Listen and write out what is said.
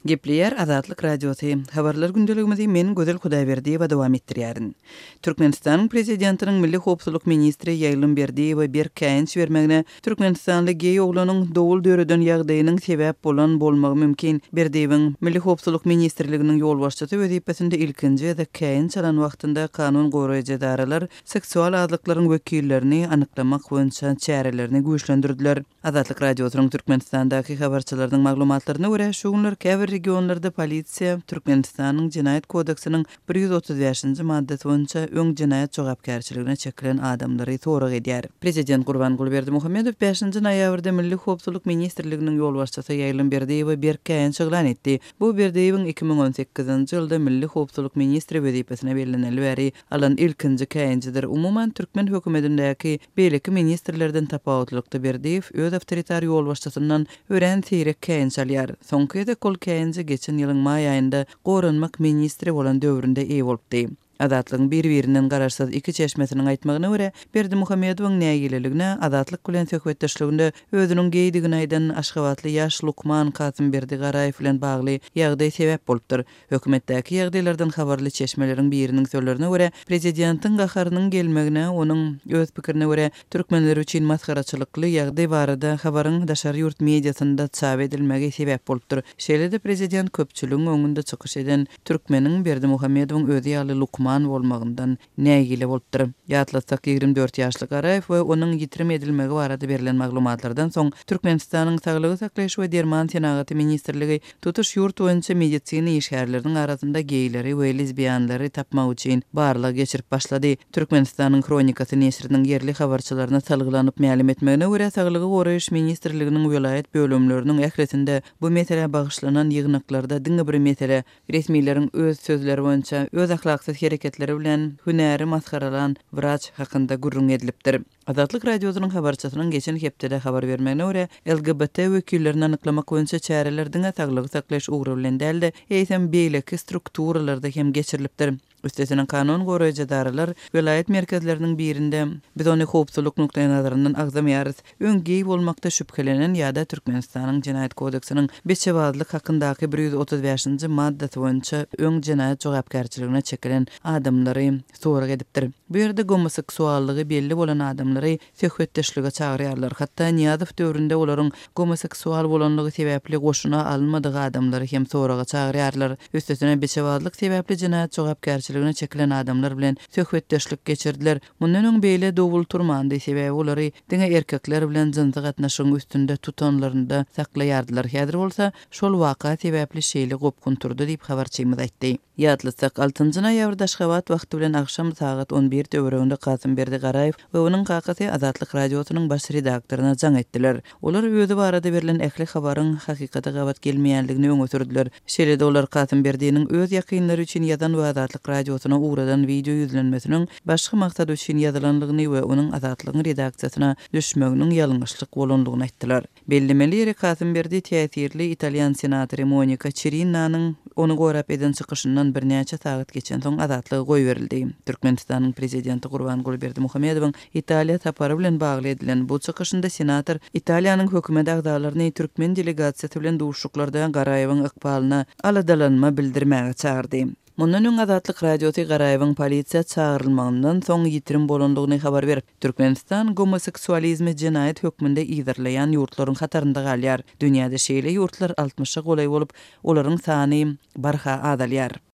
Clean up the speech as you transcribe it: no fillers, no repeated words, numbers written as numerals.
Gepleýär Azatlyk Radiosy, Habarlar gündeligimizi men Gözel Hudaýberdiýewa dowam etdirýärin. Türkmenistanyň Prezidentiniň Milli howpsuzlyk ministri Ýaýlym Berdiýewe berk käýinç bermegine türkmenistanly geý oglanyň dowul döreden ýagdaýynyň sebäp bolan bolmagy mümkin. Berdiýewiň Milli howpsuzlyk ministrliginiň ýolbaşçysy wezipesinde ilkinji gezek käýinç alan wagtynda kanun goraýjy edaralar seksual azlyklaryň wekillerini anyklamak boýunça çärelerini güýçlendirdiler. Azatlyk Radiosynyň Türkmenistandaky habarçylarynyň maglumatlaryna görä, şu günler käbir regionlarda polisiýa Türkmenistanyň Jenaýat kodeksiniň 135-nji maddasy boýunça öň jenaýat jogapkärçiligine çekilen adamlary sorag edýär. Prezident Gurbanguly Berdimuhamedow bäşinji noýabrda Milli howpsuzlyk ministrliginiň ýolbaşçysy Ýaýlym Berdiýewe berk käýinç yglan etdi. Bu Berdiýewiň 2018-nji ýylda Milli howpsuzlyk ministri wezipesine belleneli bäri alan ilkinji käýinjidir. Umuman, türkmen hökümetindäki beýleki ministrlerden tapawutlylykda Berdiýew öz awtoritar ýolbaşçysyndan örän seýrek käýinç alýar. Soňky gezek ol käýinje geçen ýylyň maý aýynda goranmak ministri bolan döwründe eýe bolupdy. Azatlygyň bir-birinden garaşsyz iki çeşmesiniň aýtmagyna görä, Berdimuhamedowyň nägileligine Azatlyk bilen söhbetdeşliginde özüniň geýdigini aýdan aşgabatly ýaş lukman Kasymberdi Garaýew bilen bagly ýagdaý sebäp bolupdyr. Hökümetdäki ýagdaýlardan habarly çeşmeleriň biriniň sözlerine görä, prezidentiň gaharynyň gelmegine onuň, öz pikirine görä, türkmenler üçin masgaraçylykly ýagdaý barada habaryň daşary ýurt mediasynda çap edilmegi sebäp bolupdyr. Şeýle-de prezident köpçüligiň öňünde çykyş eden türkmeniň Berdimuhamedowyň özi ýaly lukman bolmagyndan nägile bolupdyr. Ýatlatsak, 24 ýaşly Garaýew we onuň ýitirim edilmegi barada berlen maglumatlardan soň, Türkmenistanyň Saglygy saklaýyş we derman senagaty ministrligi tutuş ýurt boýunça medisina işgärleriniň arasynda geýleri we lezbiýanlary tapmak üçin barlag geçirip başlady. Türkmenistanyň Hronikasy neşiriniň ýerli habarçylaryna salgylanyp mälim etmegine görä, Saglygy goraýyş ministrliginiň welaýat bölümleriniň ählisinde bu meselä bagyşlanan ýygnaklarda diňe bir mesele Resmileriň öz sözleri boýunça, öz ahlaksyz hereketleri bilen hünäri masgaralan wraç hakynda gürrüň edilipdir. Azatlyk Radiosynyň habarçysynyň geçen hepdede habar bermegine görä, LGBT wekillerini anyklamak boýunça çäreler diňe saglygy saklaýyş ugry bilen däl-de, eýsem beýleki strukturalarda hem geçirilipdir. Üstesine kanun goraýjy edaralar welaýat merkezleriniň birinde, biz ony howpsuzlyk nukdaýnazaryndan agzamaýarys, öň geý bolmakda şübhelenen ýa-da Türkmenistanyň Jenaýat kodeksiniň beçebazlyk hakyndaky 135-nji maddasy boýunça öň jenaýat jogapkärçiligine çekilen adamlary sorag edipdir. Bu ýerde gomoseksuallygy belli bolan adamlary söhbetdeşlige çagyrýarlar. Hatda Nyýazow döwründe olaryň gomoseksual bolanlygy sebäpli goşuna alynmadyk adamlary hem soraga çagyrýarlar. Üstesine beçebazlyk sebäpli jenaýat jogapkärçiligine çekilen adamlar bilen söhbetdeşlik geçirdiler. Mundan öň beýle dowul turmandy, sebäbi olary diňe erkekler bilen jynsy gatnaşygyň üstünde tutanlarynda saklaýardylar. Häzir bolsa şol waka sebäpli şeýle gopgun turdy diýip, habarçymyz aýtdy. Ýatlatsak, altynjy noýabrda Aşgabat wagty bilen agşam sagat 11 töwereginde Kasymberdi Garaýew we onuň kakasy Azatlyk Radiosynyň baş redaktoryna jaň etdiler. Olar özi barada berlen ähli habaryň hakykata gabat gelmeýändigini öňe sürdüler. Şeýle-de olar Kasymberdiniň öz ýakynlary üçin ýazan we Azatlyk Radiosyna ugradan wideo ýüzlenmesiniň başga maksat üçin ýazylandygyny we onuň Azatlygyň redaksiýasyna düşmeginiň ýalňyşlyk bolandygyny aýtdylar. Bellemeli ýeri, Kasymberdi täsirli italýan senatory Monika Çirinnanyň ony gorap eden çykyşyndan birnäçe sagat geçensoň azatlyga goýberildi. Türkmenistanyň Prezidenti Gurbanguly Berdimuhamedowyň Italiýa sapary bilen bagly edilen bu çykyşynda senator Italiýanyň hökümet agzalaryny türkmen delegasiýasy bilen duşuşyklarda Garaýewiň ykbalyna aladalanma bildirmäge çagyrdy. Mundan öň Azatlyk Radiosy Garaýewiň polisiýa çagyrylmagyndan soň ýitirim bolandygyny habar berip, Türkmenistan gomoseksualizmi jenaýat hökmünde yzarlaýan ýurtlaryň hatarynda galýar. Dünýäde şeýle ýurtlar altmyşa golaý bolup, olaryň sany barha azalýar.